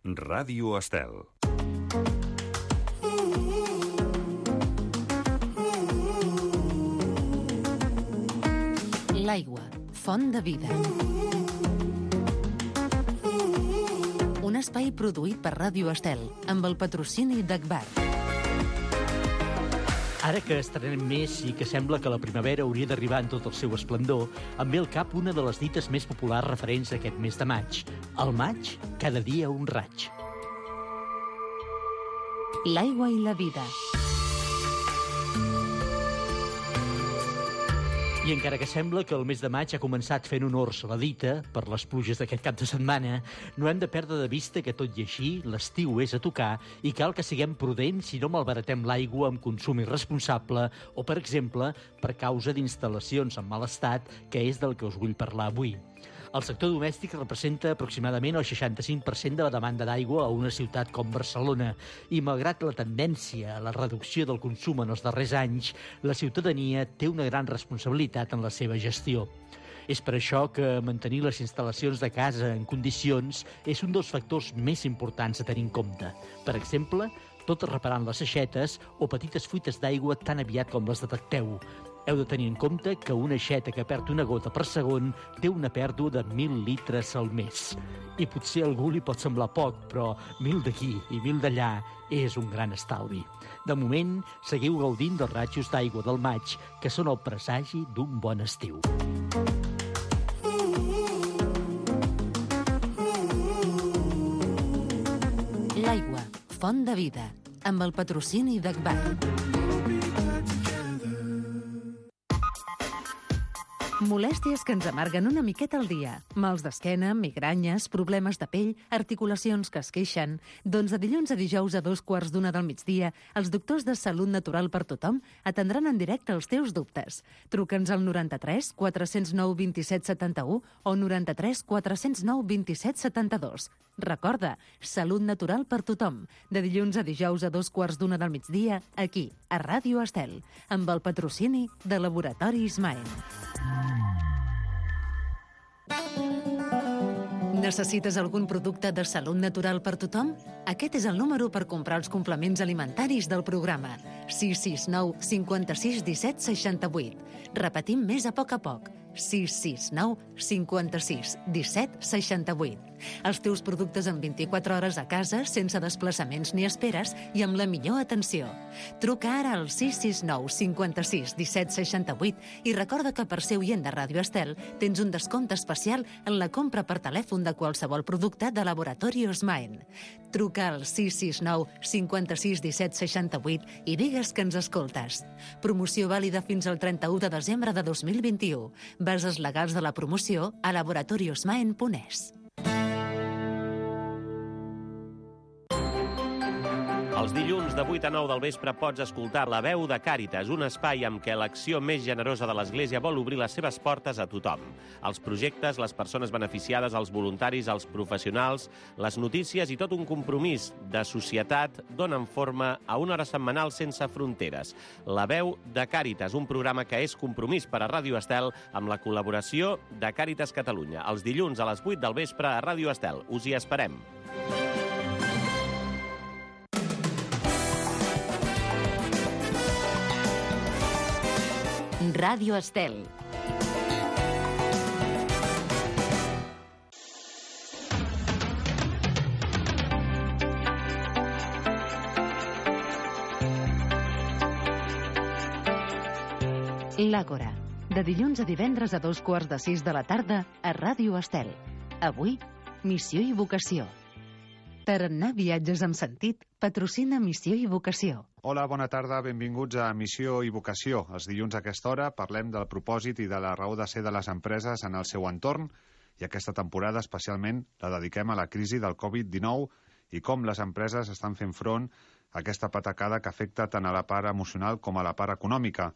Ràdio Estel. L'aigua, font de vida. Un espai produït per Ràdio Estel, amb el patrocini d'Agbar. Ara que estrenem més i que sembla que la primavera hauria d'arribar en tot el seu esplendor, em ve al cap una de les dites més populars referents a aquest mes de maig. Al maig, cada dia un raig. L'aigua i la vida. I encara que sembla que el mes de maig ha començat fent honors a la dita, per les pluges d'aquest cap de setmana, no hem de perdre de vista que, tot i així, l'estiu és a tocar i cal que siguem prudents si no malbaratem l'aigua amb consum irresponsable o, per exemple, per causa d'instal·lacions en mal estat, que és del que us vull parlar avui. El sector domèstic representa aproximadament el 65% de la demanda d'aigua a una ciutat com Barcelona i, malgrat la tendència a la reducció del consum en els darrers anys, la ciutadania té una gran responsabilitat en la seva gestió. És per això que mantenir les instal·lacions de casa en condicions és un dels factors més importants a tenir en compte. Per exemple, tot reparant les aixetes o petites fuites d'aigua tan aviat com les detecteu. Heu de tenir en compte que una aixeta que perd una gota per segon té una pèrdua de 1.000 litres al mes. I potser a algú li pot semblar poc, però 1.000 d'aquí i 1.000 d'allà és un gran estalvi. De moment, seguiu gaudint dels ratxos d'aigua del maig, que són el presagi d'un bon estiu. L'aigua, font de vida, amb el patrocini d'Agbar. Molèsties que ens amarguen una miqueta al dia. Mals d'esquena, migranyes, problemes de pell, articulacions que es queixen. Doncs de dilluns a dijous a 2:15 del migdia, els doctors de Salut Natural per Tothom atendran en directe els teus dubtes. Truca'ns al 93 409 27 71 o 93 409 27 72. Recorda, Salut Natural per Tothom, de dilluns a dijous a 2:15 del migdia, aquí, a Ràdio Estel, amb el patrocini de Laboratoris Maen. Necessites algun producte de salut natural per tothom? Aquest és el número per comprar els complements alimentaris del programa. 669 56 17 68. Repetim més a poc. 669 56 17 68. Els teus productes en 24 hores a casa, sense desplaçaments ni esperes i amb la millor atenció. Truca ara al 669 56 17 68 i recorda que per ser oient de Ràdio Estel tens un descompte especial en la compra per telèfon de qualsevol producte de Laboratoris Maen. Truca al 669 56 17 68 i digues que ens escoltes. Promoció vàlida fins al 31 de desembre de 2021. Bases legals de la promoció a laboratoriosmaen.es. Els dilluns de 8 a 9 del vespre pots escoltar La Veu de Càritas, un espai amb què l'acció més generosa de l'Església vol obrir les seves portes a tothom. Els projectes, les persones beneficiades, els voluntaris, els professionals, les notícies i tot un compromís de societat donen forma a una hora setmanal sense fronteres. La Veu de Càritas, un programa que és compromís per a Ràdio Estel amb la col·laboració de Càritas Catalunya. Els dilluns a les 8 del vespre a Ràdio Estel. Us hi esperem. Ràdio Estel. L'Àgora, de dilluns a divendres a 5:15 de la tarda a Ràdio Estel. Avui, missió i vocació. Tarannà Viatges amb Sentit patrocina Missió i Vocació. Hola, bona tarda, benvinguts a Missió i Vocació. Els dilluns a aquesta hora parlem del propòsit i de la raó de ser de les empreses en el seu entorn i aquesta temporada especialment la dediquem a la crisi del Covid-19 i com les empreses estan fent front a aquesta patacada que afecta tant a la part emocional com a la part econòmica.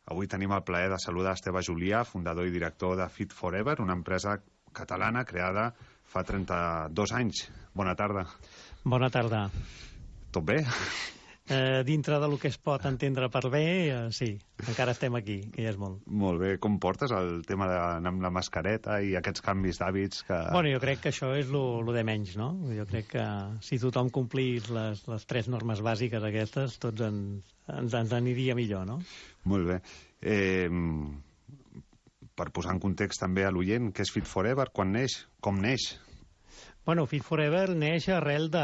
Avui tenim el plaer de saludar Esteve Julià, fundador i director de Fit Forever, una empresa catalana creada fa 32 anys. Bona tarda. Bona tarda. Tot bé? dintre del que es pot entendre per bé, sí, encara estem aquí, que ja és molt. Molt bé. Com portes el tema d'anar amb la mascareta i aquests canvis d'hàbits que... Bueno, jo crec que això és lo de menys, no? Jo crec que si tothom complís les 3 normes bàsiques aquestes, tots ens aniria millor, no? Molt bé. Per posar en context també a l'oient, què és Fit Forever, quan neix, com neix? Bueno, Fit Forever neix arrel de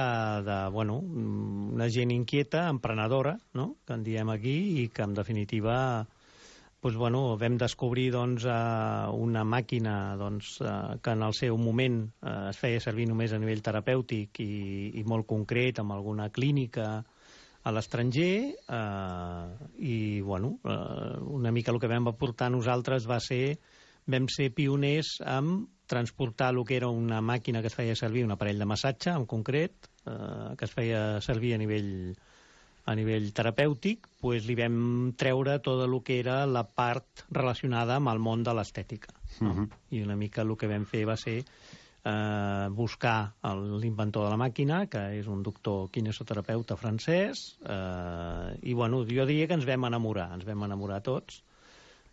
una gent inquieta, emprenedora, no?, que en diem aquí, i que en definitiva vam descobrir una màquina que en el seu moment es feia servir només a nivell terapèutic i molt concret, amb alguna clínica a l'estranger, i una mica el que vam aportar nosaltres vam ser pioners en transportar el que era una màquina que es feia servir, un aparell de massatge en concret, que es feia servir a nivell terapèutic, li vam treure tot el que era la part relacionada amb el món de l'estètica. I una mica el que vam fer va ser buscar l'inventor de la màquina, que és un doctor kinesioterapeuta francès, i jo diria que ens vam enamorar tots.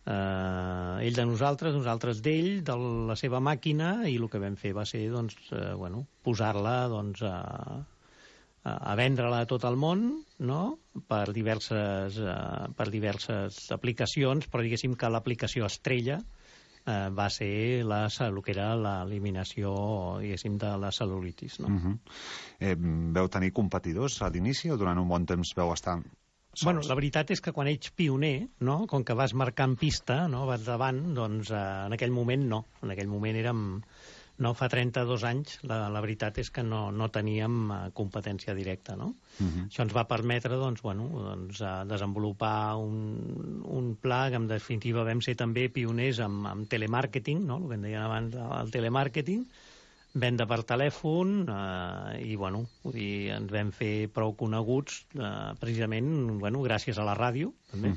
Ell de nosaltres d'ell, de la seva màquina, i el que vam fer va ser posar-la a vendre-la a tot el món, no?, per diverses aplicacions, però diguéssim que l'aplicació estrella va ser el que era l'eliminació, diguéssim, de la cel·lulitis, no? Veu tenir competidors a l'inici o durant un bon temps veu estar sols? Bueno, la veritat és que quan ets pioner, no?, com que vas marcant pista, no?, vas davant, doncs en aquell moment no. En aquell moment érem... No, fa 32 anys, la veritat és que no teníem competència directa, no? Això ens va permetre, desenvolupar un pla que, en definitiva, vam ser també pioners amb telemàrqueting, no?, el que en deien abans, el telemàrqueting, venda per telèfon, i, vull dir, ens vam fer prou coneguts, precisament, gràcies a la ràdio, també.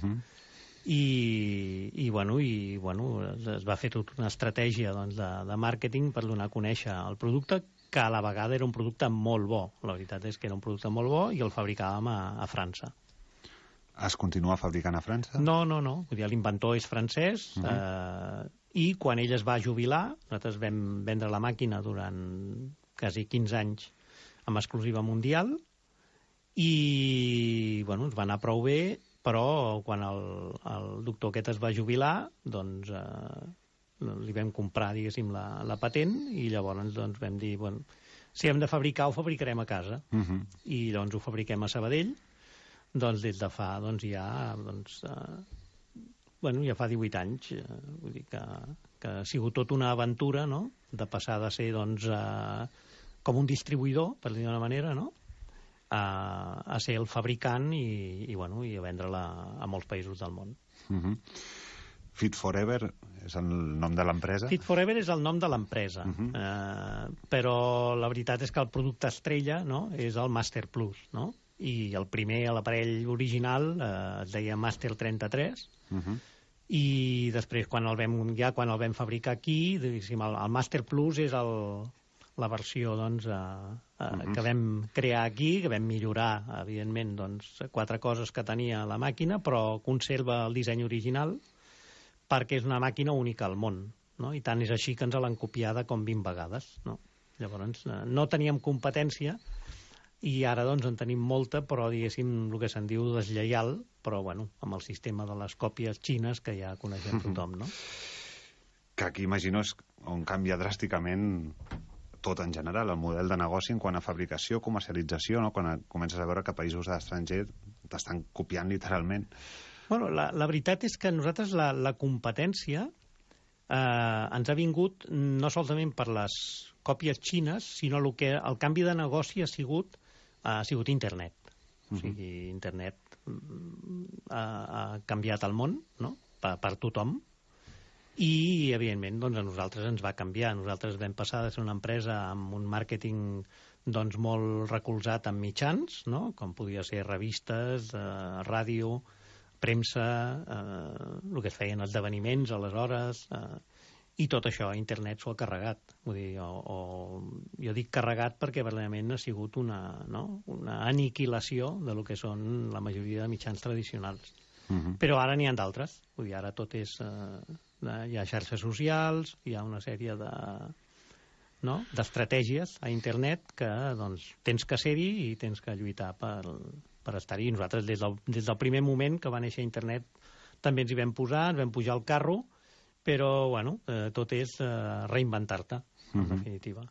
I es va fer tota una estratègia de màrqueting per donar a conèixer el producte, que a la vegada era un producte molt bo. La veritat és que era un producte molt bo i el fabricàvem a França. Es continua fabricant a França? No. Vull dir, l'inventor és francès, i quan ell es va jubilar, nosaltres vam vendre la màquina durant quasi 15 anys amb exclusiva mundial, i ens va anar prou bé, però quan el doctor aquest es va jubilar, doncs li vam comprar, diguéssim, la patent, i llavors vam dir, si hem de fabricar, ho fabricarem a casa. I doncs ho fabriquem a Sabadell, des de fa, ja fa 18 anys. Vull dir que ha sigut tota una aventura, no?, de passar de ser, com un distribuïdor, per dir d'una manera, no?, a ser el fabricant i a vendre-la a molts països del món. Fit Forever és el nom de l'empresa? Fit Forever és el nom de l'empresa, però la veritat és que el producte estrella, no?, és el Master Plus, no?, i el primer, l'aparell original, es deia Master 33, i després, quan el vam fabricar aquí, el Master Plus és la versió que vam crear aquí, que vam millorar, evidentment, 4 coses que tenia la màquina, però conserva el disseny original perquè és una màquina única al món, no? I tant és així que ens l'han copiada com 20 vegades, no? Llavors, no teníem competència i ara en tenim molta, però diguéssim el que se'n diu deslleial, però amb el sistema de les còpies xines que ja coneixem tothom, no? Que aquí imagino és on canvia dràsticament tot en general, el model de negoci en quant a fabricació, comercialització, no?, quan comences a veure que països estrangers t'estan copiant literalment. Bueno, la veritat és que nosaltres la competència ens ha vingut no solament per les còpies xines, sinó el canvi de negoci ha sigut internet. O sigui, internet ha canviat el món, no?, per tothom. I, evidentment, a nosaltres ens va canviar. Nosaltres vam passar de ser una empresa amb un màrqueting molt recolzat en mitjans, no?, com podia ser revistes, ràdio, premsa, el que es feien esdeveniments, aleshores, I tot això internet s'ho ha carregat. Vull dir, jo dic carregat perquè verdaderament ha sigut una aniquilació de lo que són la majoria de mitjans tradicionals. Però ara n'hi ha d'altres. Vull dir, ara tot és... hi ha xarxes socials, hi ha una sèrie d'estratègies a internet que doncs, tens que ser-hi i tens que lluitar per estar-hi. I nosaltres, des del primer moment que va néixer internet, també ens hi vam posar, ens vam pujar al carro, però, bueno, tot és reinventar-te, en definitiva.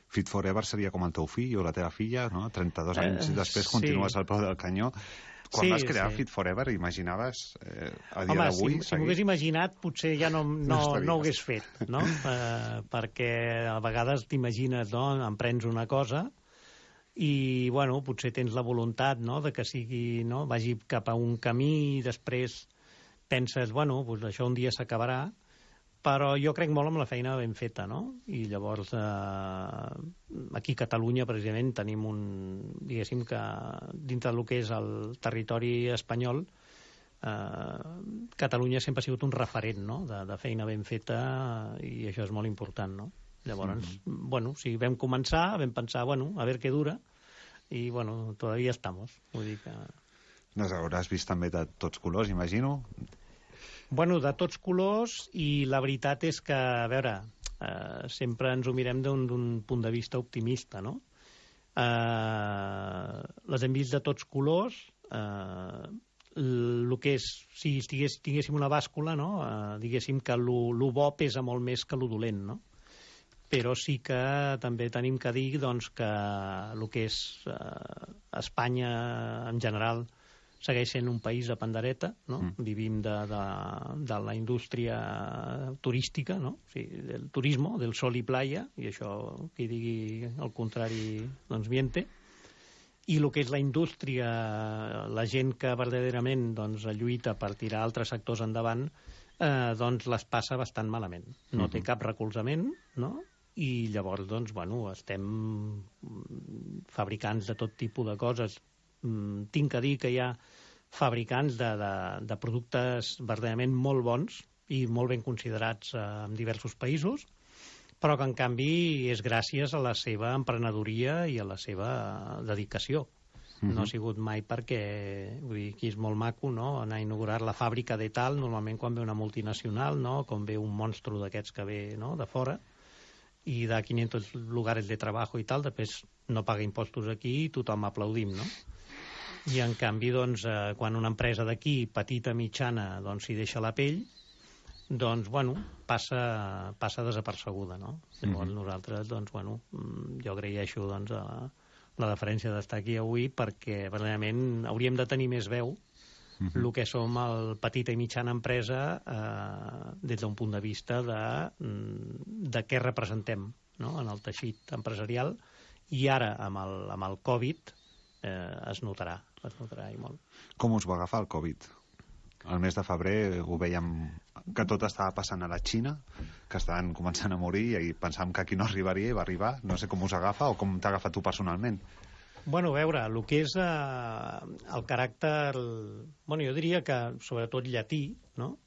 Fit Forever seria com el teu fill o la teva filla, no? 32 anys després continues al peu del canyó. Quan vas crear Fit Forever, imaginaves a dia d'avui? Si m'ho hagués imaginat, potser ja no ho hagués fet, no? Perquè a vegades t'imagines, no? Emprens una cosa i, bueno, potser tens la voluntat, no?, de que sigui, no?, vagi cap a un camí i després penses, bueno, doncs això un dia s'acabarà, però jo crec molt en la feina ben feta, no? I llavors aquí a Catalunya, precisament, tenim diguéssim que dintre del que és el territori espanyol, Catalunya sempre ha sigut un referent, no?, de feina ben feta, i això és molt important, no? Llavors, bueno, si vam començar, vam pensar, bueno, a veure què dura, i, bueno, todavía estamos. Vull dir que... Les hauràs vist també de tots colors, imagino? Bueno, de tots colors, i la veritat és que, a veure, sempre ens ho mirem d'un punt de vista optimista, no? Les hem vist de tots colors, el que és, si tinguéssim una bàscula, no?, diguéssim que lo bo pesa molt més que lo dolent, no? Però sí que també tenim que dir, doncs, que el que és Espanya en general segueix sent un país de pandereta, no? Vivim de la indústria turística, no? O sigui, del turismo, del sol i playa, i això, qui digui el contrari, doncs miente. I el que és la indústria, la gent que verdaderament doncs, lluita per tirar altres sectors endavant, doncs les passa bastant malament. No té cap recolzament, no? I llavors, doncs, bueno, estem fabricants de tot tipus de coses. Tinc que dir que hi ha fabricants de productes verdaderament molt bons i molt ben considerats en diversos països, però que en canvi és gràcies a la seva emprenedoria i a la seva dedicació. No ha sigut mai perquè, vull dir, aquí és molt maco, no?, anar a inaugurar la fàbrica de tal, normalment quan ve una multinacional, no?, com ve un monstru d'aquests que ve, no?, de fora, i de 500 lugares de trabajo i tal, després no paga impostos aquí i tothom aplaudim, no? I en canvi, doncs, quan una empresa d'aquí, petita, mitjana, doncs s'hi deixa la pell, doncs, bueno, passa desapercebuda, no? Llavors nosaltres, doncs, bueno, jo agraeixo, doncs, la deferència d'estar aquí avui perquè, verdaderament, hauríem de tenir més veu el que som el petita i mitjana empresa des d'un punt de vista de què representem, no?, en el teixit empresarial, i ara, amb el Covid, es notarà i molt. Com us va agafar el Covid? El mes de febrer ho veiem que tot estava passant a la Xina, que estaven començant a morir i pensàvem que aquí no arribaria i va arribar. No sé com us agafa o com t'ha agafat tu personalment. Bueno, a veure, el que és el caràcter... Bueno, jo diria que sobretot llatí, no?,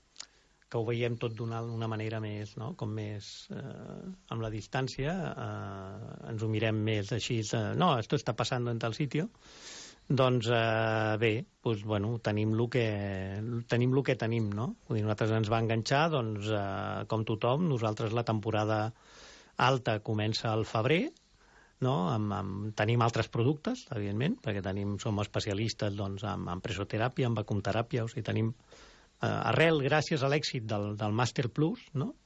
que ho veiem tot d'una manera més, no?, com més amb la distància, ens ho mirem més així, no, esto está pasando en tal sitio. Doncs bé, doncs, bueno, tenim el que tenim, no? Vull dir, nosaltres ens va enganxar, doncs, com tothom, nosaltres la temporada alta comença al febrer, no? Tenim altres productes, evidentment, perquè som especialistes, doncs, en presoteràpia, en vacumteràpia, o sigui, tenim gràcies a l'èxit del Master Plus, no?,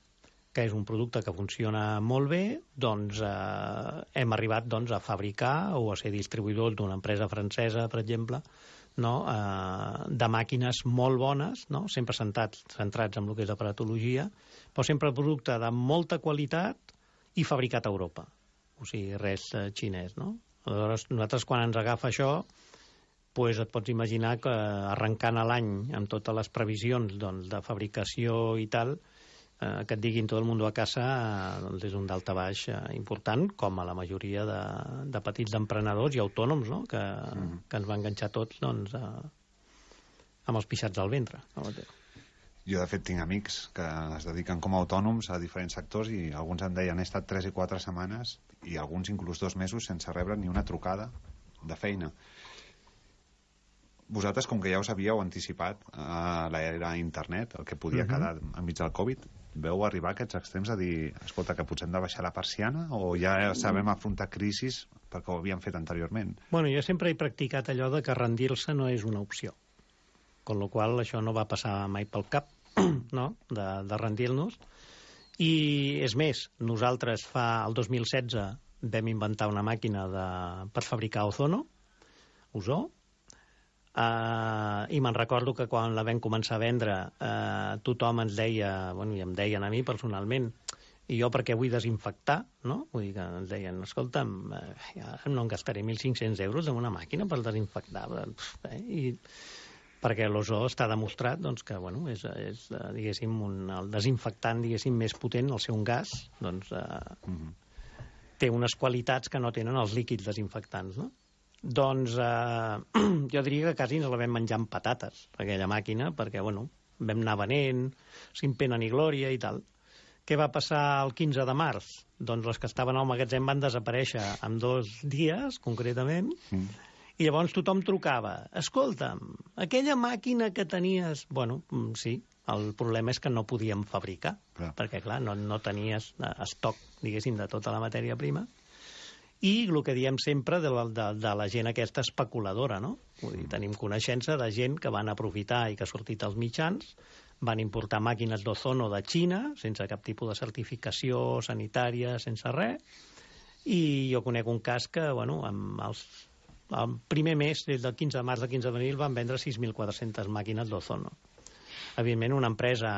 que és un producte que funciona molt bé, doncs hem arribat doncs, a fabricar o a ser distribuïdors d'una empresa francesa, per exemple, no?, de màquines molt bones, no?, sempre centrats en el que és aparatologia, però sempre producte de molta qualitat i fabricat a Europa. O sigui, res xinès, no? Aleshores, nosaltres quan ens agafa això, doncs et pots imaginar que arrencant a l'any amb totes les previsions doncs, de fabricació i tal, que et diguin tot el mundo a casa, doncs és un daltabaix important, com a la majoria de petits emprenedors i autònoms, no?, que ens va enganxar tots doncs, amb els pixats al ventre. Jo, de fet, tinc amics que es dediquen com a autònoms a diferents sectors i alguns em deien he estat 3 i 4 setmanes i alguns inclús 2 mesos sense rebre ni una trucada de feina. Vosaltres, com que ja us havíeu anticipat a l'era internet, el que podia quedar enmig del Covid, veu arribar a aquests extrems a dir, escolta, que potser hem de baixar la persiana o ja sabem afrontar crisis perquè ho havíem fet anteriorment? Bueno, jo sempre he practicat allò de que rendir-se no és una opció. Con la qual això no va passar mai pel cap, no?, de rendir-nos. I és més, nosaltres el 2016 vam inventar una màquina per fabricar ozó, i me'n recordo que quan la vam començar a vendre tothom ens deia, bueno, i em deien a mi personalment, i jo perquè vull desinfectar, no? Vull dir que ens deien, escolta'm, no em gastaré 1.500 euros en una màquina per desinfectar, i perquè l'ozó està demostrat doncs, que bueno, és diguéssim, el desinfectant diguéssim, més potent, el ser un gas, doncs, té unes qualitats que no tenen els líquids desinfectants, no? Doncs jo diria que quasi ens la vam menjar amb patates, aquella màquina, perquè bueno, vam anar venent, sin pena ni glòria i tal. Què va passar el 15 de març? Doncs les que estaven al magatzem van desaparèixer en 2 dies, concretament, i llavors tothom trucava, escolta'm, aquella màquina que tenies... Bueno, sí, el problema és que no podíem fabricar, perquè, clar, no tenies estoc, diguéssim, de tota la matèria prima. I el que diem sempre de la gent aquesta especuladora, no? Vull dir, tenim coneixença de gent que van aprofitar i que ha sortit als mitjans, van importar màquines d'ozono de Xina, sense cap tipus de certificació sanitària, sense res, i jo conec un cas que, bueno, el primer mes, des del 15 de març al 15 d'abril, van vendre 6.400 màquines d'ozono. Evidentment, una empresa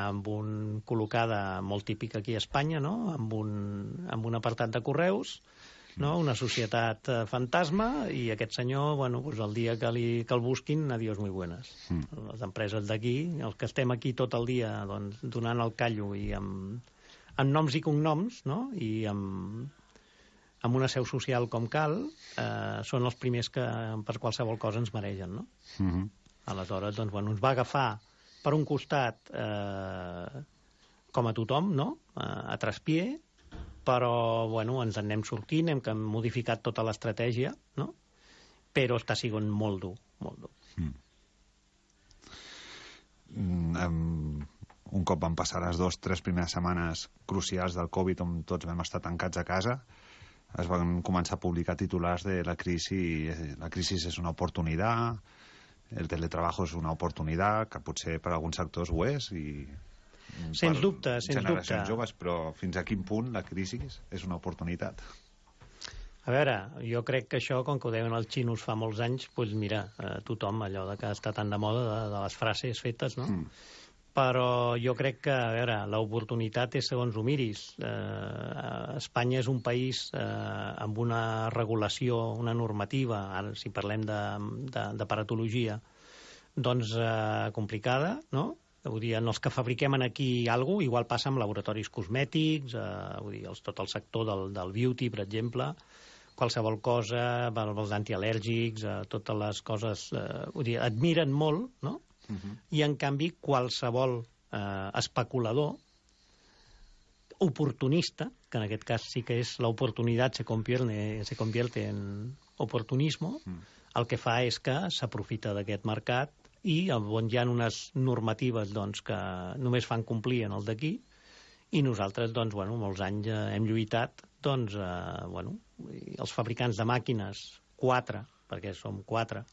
col·locada molt típica aquí a Espanya, no? Amb un apartat de correus, no? Una societat fantasma, i aquest senyor, bueno, doncs el dia que el busquin, adiós muy buenas. Les empreses d'aquí, els que estem aquí tot el dia doncs, donant el callo i amb noms i cognoms, no? I amb una seu social com cal, són els primers que per qualsevol cosa ens mereixen, no? Aleshores, doncs, bueno, ens va agafar per un costat com a tothom, no? A traspié, però, bueno, ens en anem sortint, hem modificat tota l'estratègia, no? Però està sent molt dur, molt dur. Un cop van passar les 2-3 primeres setmanes crucials del Covid, on tots vam estar tancats a casa, es van començar a publicar titulars de la crisi és una oportunitat, el teletrabajo és una oportunitat, que potser per alguns sectors ho és, i sens dubte, sens dubte. Generacions joves, però fins a quin punt la crisi és una oportunitat? A veure, jo crec que això, com que ho deien els xinos fa molts anys, doncs mira, tothom, allò que està tan de moda de les frases fetes, no? Però jo crec que, a veure, l'oportunitat és segons ho miris. Espanya és un país amb una regulació, una normativa, ara si parlem de paratologia, doncs complicada, no? Vull dir, en els que fabriquem aquí alguna cosa, igual passa amb laboratoris cosmètics, vull dir, tot el sector del beauty, per exemple, qualsevol cosa, els antial·lèrgics, totes les coses, vull dir, et miren molt, no? I, en canvi, qualsevol especulador oportunista, que en aquest cas sí que és l'oportunitat se convierte en oportunismo, el que fa és que s'aprofita d'aquest mercat i on hi ha unes normatives doncs, que només fan complir en el d'aquí, i nosaltres, doncs, bueno, molts anys hem lluitat, doncs, bueno, els fabricants de màquines, 4, perquè som 4,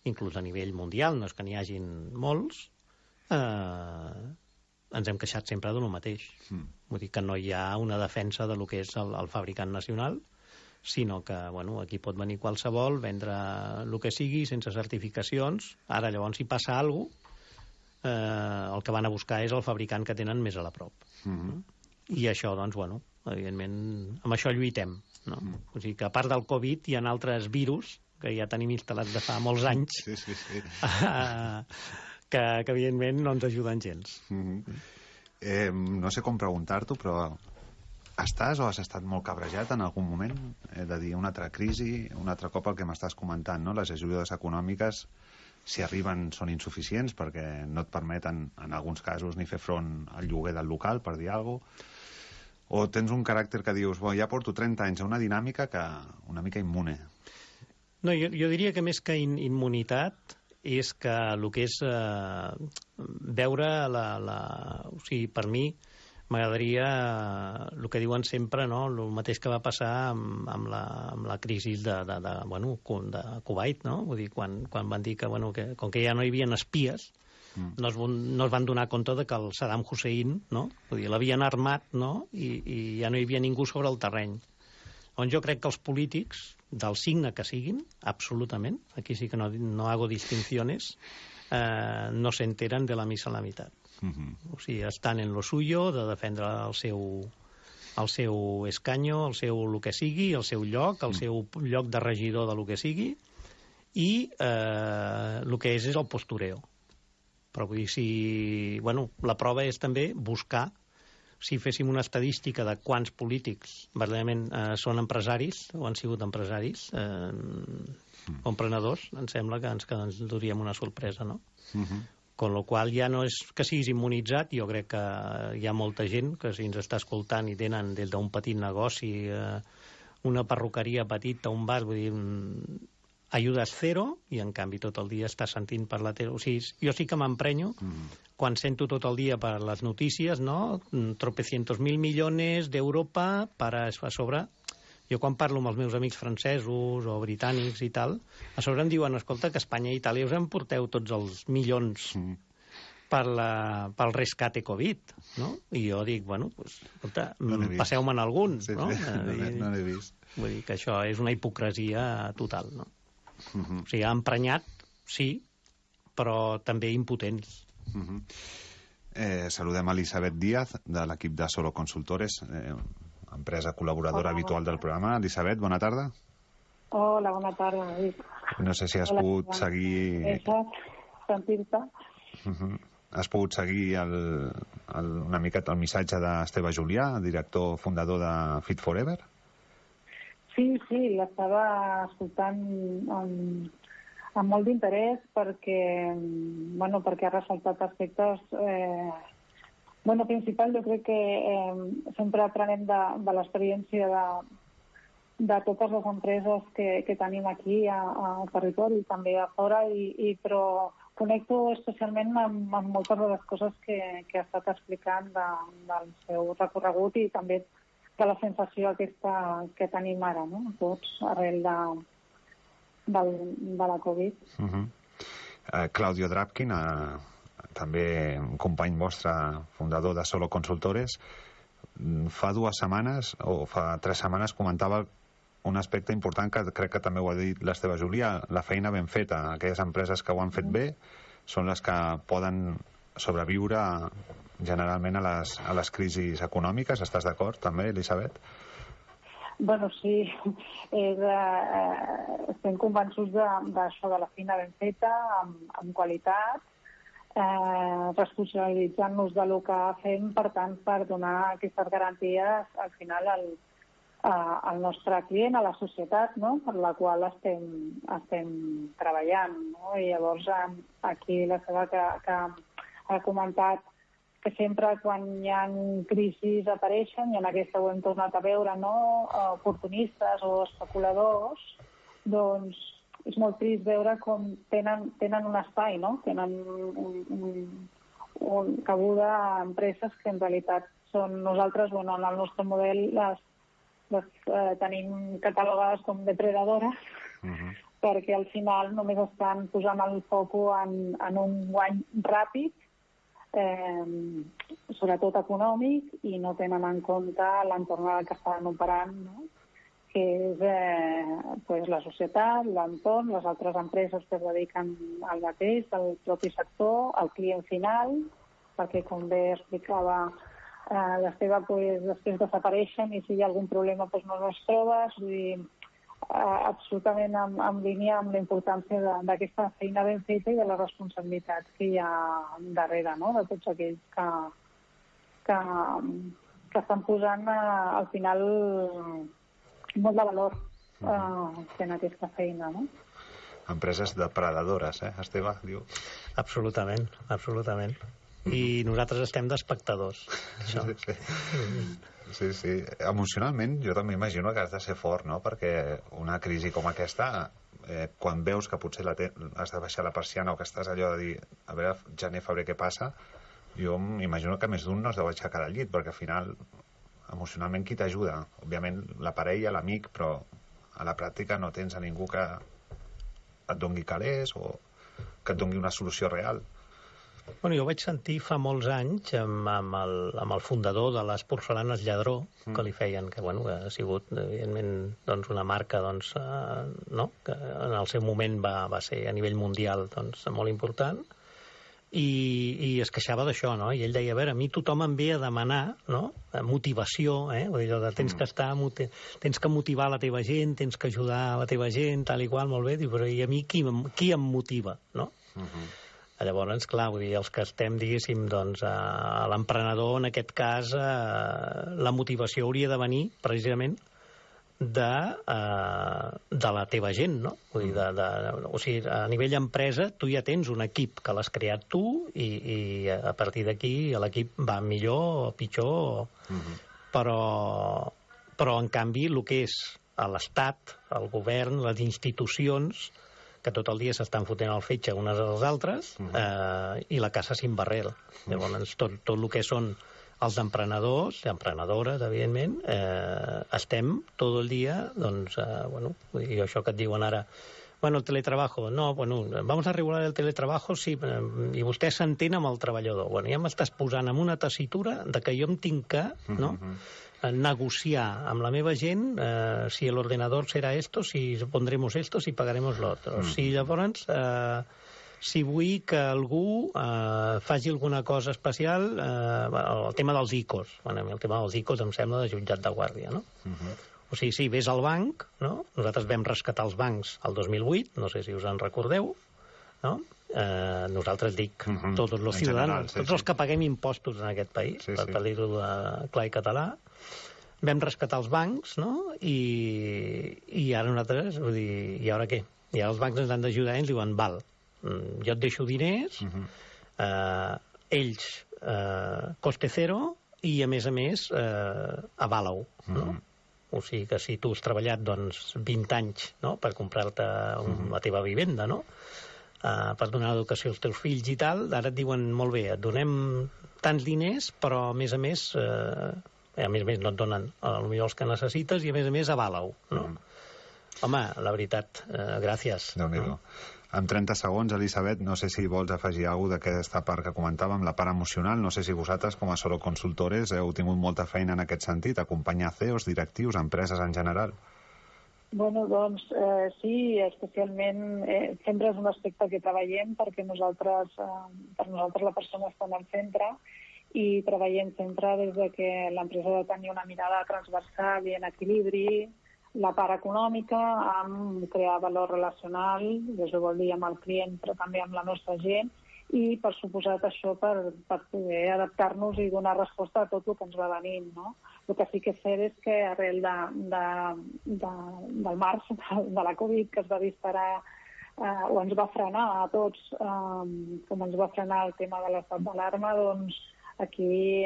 inclús a nivell mundial, no és que n'hi hagin molts, ens hem queixat sempre de lo mateix. Vull dir que no hi ha una defensa de lo que és el fabricant nacional, sinó que, bueno, aquí pot venir qualsevol, vendre el que sigui, sense certificacions. Ara, llavors, si passa alguna cosa, el que van a buscar és el fabricant que tenen més a la prop. I això, doncs, bueno, evidentment, amb això lluitem, no? O sigui que, a part del Covid, hi ha altres virus que ja tenim instal·lats de fa molts anys, que evidentment no ens ajuden gens. No sé com preguntar-t'ho, però estàs o has estat molt cabrejat en algun moment? De dir, una altra crisi, un altre cop el que m'estàs comentant, no? Les ajudes econòmiques si arriben són insuficients perquè no et permeten, en alguns casos, ni fer front al lloguer del local, per dir alguna cosa, o tens un caràcter que dius, ja porto 30 anys a una dinàmica que una mica immune? No, jo diria que més que immunitat és que el que és veure o sigui, per mi m'agradaria el que diuen sempre, no? El mateix que va passar amb la crisi de Kuwait, no? Vull dir, quan van dir que, que com que ja no hi havia espies, no es van donar compte de que el Saddam Hussein, no? Vull dir, l'havien armat, no? I ja no hi havia ningú sobre el terreny. On jo crec que els polítics, del signe que siguin, absolutament, aquí sí que no hago distinciones, no se enteran de la misa a la mitad. O sigui, estan en lo suyo, de defendre el seu escanyo, el que sigui, el seu lloc, el seu lloc de regidor de lo que sigui, i el que és el postureo. Però vull dir, la prova és també buscar, si féssim una estadística de quants polítics verdaderament són empresaris, o han sigut empresaris, o emprenedors, em sembla que ens duríem una sorpresa, no? Con lo qual ja no és que siguis immunitzat, jo crec que hi ha molta gent que si ens està escoltant i tenen des d'un petit negoci, una perruqueria petita, un bar, vull dir, ayudes cero, i en canvi tot el dia estàs sentint per la tele. O sigui, jo sí que m'emprenyo quan sento tot el dia per les notícies, no? Tropecientos mil millones d'Europa a sobre. Jo quan parlo amb els meus amics francesos o britànics i tal, a sobre em diuen, escolta, que Espanya i Itàlia us emporteu tots els milions pel rescate Covid, no? I jo dic, escolta, passeu-me'n algun, no? No l'he vist. Vull dir que això és una hipocresia total, no? O sigui, emprenyat, sí, però també impotents. Saludem a Elisabet Díaz, de l'equip de Solo Consultores, empresa col·laboradora habitual del programa. Elisabet, bona tarda. Hola, bona tarda. No sé si has pogut seguir... sentir-te. Has pogut seguir una miqueta el missatge d'Esteve Julià, director fundador de Fit Forever? Sí, l'estava escoltant amb molt d'interès perquè ha ressaltat aspectes... principal, jo crec que sempre aprenem de l'experiència de totes les empreses que tenim aquí al territori, també a fora, però connecto especialment amb moltes de les coses que ha estat explicant del seu recorregut i també de la sensació aquesta que tenim ara, no? Tots arrel de la Covid. Claudio Drapkin, també un company vostre, fundador de Solo Consultores, fa 2 setmanes o fa 3 setmanes comentava un aspecte important que crec que també ho ha dit l'Esteve Julià, la feina ben feta. Aquelles empreses que ho han fet bé són les que poden sobreviure generalment a les crisis econòmiques. Estàs d'acord també, Elisabet? Sí, estem convençuts d'això, de la feina ben feta, amb qualitat, responsabilitzant-nos del que fem, per tant, per donar aquestes garanties al final al nostre client, a la societat, no? Per la qual estem treballant, no? I llavors aquí la Seba que ha comentat que sempre quan hi ha crisis apareixen, i en aquesta ho hem tornat a veure, no? Oportunistes o especuladors, doncs és molt trist veure com tenen un espai, no? Tenen un cabuda a empreses que en realitat són nosaltres, en el nostre model les tenim catalogades com depredadores, perquè al final només estan posant el foco en un guany ràpid, sobretot econòmic, i no tenen en compte l'entorn que estan operant, no? Que és la societat, l'entorn, les altres empreses que es dediquen al mateix, al propi sector, al client final, perquè, com bé explicava l'Esteve, després desapareixen i si hi ha algun problema no els trobes. Vull dir, absolutament en línia amb la importància d'aquesta feina ben feta i de la responsabilitat que hi ha darrere, no? De tots aquells que estan posant al final molt de valor fent aquesta feina, no? empreses depredadores, Esteve, diu? Absolutament, absolutament. I nosaltres estem d'espectadors. Sí. Emocionalment, jo també imagino que has de ser fort, no? Perquè una crisi com aquesta, quan veus que potser has de baixar la persiana o que estàs allò de dir, a veure, gener, febrer, què passa, jo m'imagino que més d'un no es deu aixecar del llit, perquè al final, emocionalment, qui t'ajuda? Òbviament, la parella, l'amic, però a la pràctica no tens a ningú que et doni calés o que et doni una solució real. Bueno, jo vaig sentir fa molts anys amb el fundador de les porcelanes Lladró, que li feien, que bueno, ha sigut evidentment doncs, una marca doncs, no? Que en el seu moment va ser a nivell mundial doncs, molt important, i es queixava d'això, no? I ell deia, a veure, a mi tothom em ve a demanar, no? Motivació, vull dir, tens que motivar la teva gent, tens que ajudar la teva gent, tal i qual, molt bé, diu, però i a mi qui em motiva, no? Llavors, clar, vull dir, els que estem, diguéssim, doncs, a l'emprenedor, en aquest cas, la motivació hauria de venir, precisament, de la teva gent, no? Vull dir, o sigui, a nivell empresa, tu ja tens un equip que l'has creat tu i a partir d'aquí l'equip va millor o pitjor, però en canvi el que és l'Estat, el govern, les institucions, que tot el dia s'estan fotent el fetge unes als altres, i la caça sin barrel. Llavors, tot el que són els emprenedors, emprenedores, evidentment, estem tot el dia, doncs, bueno, i això que et diuen ara, bueno, el teletrabajo, no, bueno, vamos a regular el teletrabajo, sí, i vostè s'entén amb el treballador. Bueno, ja m'estàs posant en una tessitura de que jo em tinc que, no?, negociar amb la meva gent si l'ordenador serà esto, si pondremos esto, si pagaremos l'altre. Si llavors, si vull que algú faci alguna cosa especial, el tema dels ICOs. Bueno, el tema dels ICOs em sembla de jutjat de guàrdia, no? O sigui, sí, ves al banc, no? Nosaltres vam rescatar els bancs el 2008, no sé si us en recordeu, no? Nosaltres dic, tots els ciutadans, tots els que paguem impostos en aquest país, per dir-ho clar i català, vam rescatar els bancs, no? I ara nosaltres, vull dir, i ara què? I ara els bancs ens han d'ajudar i ens diuen, val, jo et deixo diners, ells coste cero i a més, avala-ho, no? O sigui que si tu has treballat, doncs, 20 anys, no?, per comprar-te la teva vivenda, no?, per donar l'educació als teus fills i tal, ara et diuen, molt bé, et donem tants diners, però a més no et donen potser els que necessites i a més avala-ho, no? Home, la veritat, gràcies. Déu-n'hi-do. En 30 segons, Elisabet, no sé si vols afegir alguna cosa d'aquesta part que comentàvem, la part emocional. No sé si vosaltres, com a Solo Consultores, heu tingut molta feina en aquest sentit, acompanyar CEOs, directius, empreses en general. Bueno, doncs sí, especialment sempre és un aspecte que treballem perquè per nosaltres la persona està en el centre i treballem sempre des de que l'empresa ha de tenir una mirada transversal i en equilibri, la part econòmica amb crear valor relacional, això vol dir amb el client però també amb la nostra gent, i per suposat això per poder adaptar-nos i donar resposta a tot el que ens va venint, no? El que sí que és cert és que arrel del març, de la Covid, que es va disparar o ens va frenar a tots, com ens va frenar el tema de l'estat d'alarma, doncs aquí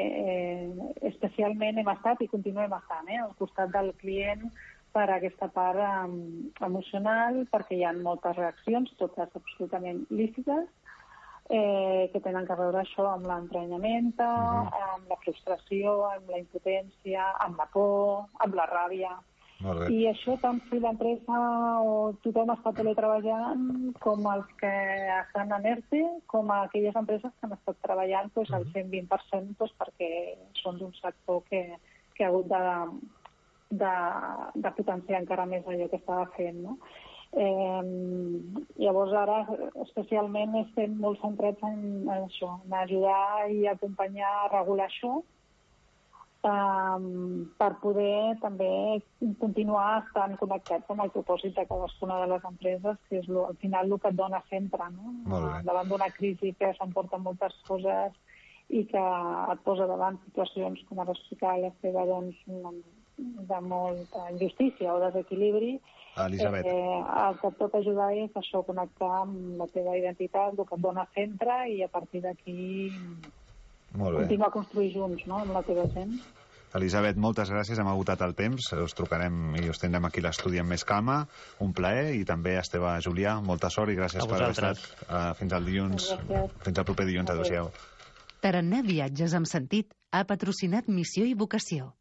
especialment hem estat i continuem estant al costat del client per aquesta part emocional, perquè hi ha moltes reaccions, totes absolutament lícites, que tenen que veure això amb l'emprenyament, amb la frustració, amb la impotència, amb la por, amb la ràbia. I això tant si l'empresa o tothom està teletreballant com els que estan en ERTE, com aquelles empreses que han estat treballant al 120% perquè són d'un sector que ha hagut de potenciar encara més allò que estava fent, no? Llavors ara especialment estem molt centrats en això, en ajudar i acompanyar a regular això per poder també continuar estant connectats amb el propòsit de cadascuna de les empreses, que és al final el que et dona sempre, no? Davant d'una crisi que s'emporta moltes coses i que et posa davant situacions, com ara explicava l'Esteve, doncs molta injustícia o desequilibri, Elisabet. el que et pot ajudar és això, connectar amb la teva identitat, el que et dona centre, i a partir d'aquí continuar a construir junts, no?, amb la teva gent. Elisabet, moltes gràcies, hem agotat el temps, us trucarem i us tindrem aquí a l'estudi amb més calma, un plaer, i també a Esteve Julià, molta sort i gràcies per haver estat. Fins al dilluns, fins al proper dilluns, adéu-siau. Tarannà Viatges amb Sentit ha patrocinat Missió i Vocació.